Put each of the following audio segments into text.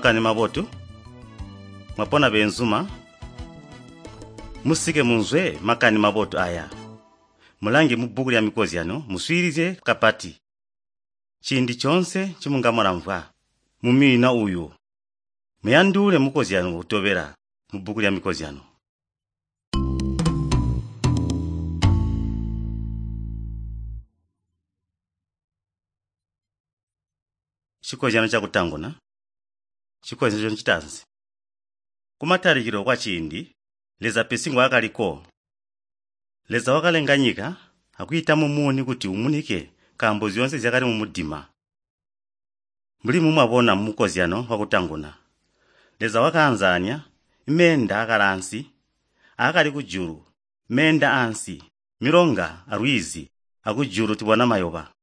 Makani mabotu. Mwapona beenzuma? Musike munzwe makani mabotu aya. Mulange mubbuku lya mikozyano muswiilizye kapati. Ciindi coonse ncimunga mulamvwa mumwiina uyu, muyandule mukozyano utobela mubbuku lya mikozyano. Chikozyano cakutanguna, chikozyano citaanzi. Kumatalikilo kwaciindi, Leza pesi ngwaakaliko. Leza wakalenga nyika akwiita mumuni kuti umunike nkaambo zyoonse zyakali mumudima. Mbuli mumwabona mumukozyano wakutanguna, Leza wakaanzaanya meenda aakali aakali kujulu, meenda aansi, milonga alwizi, akujulu tubona mayoba.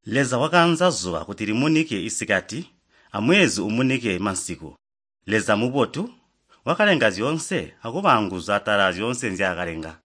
Leza wakaanza zuba kuti limunike isikati amwezi umunike mansiku. Leza mubotu wakalenga zyoonse akuba anguzu atala zyoonse nzyaakalenga.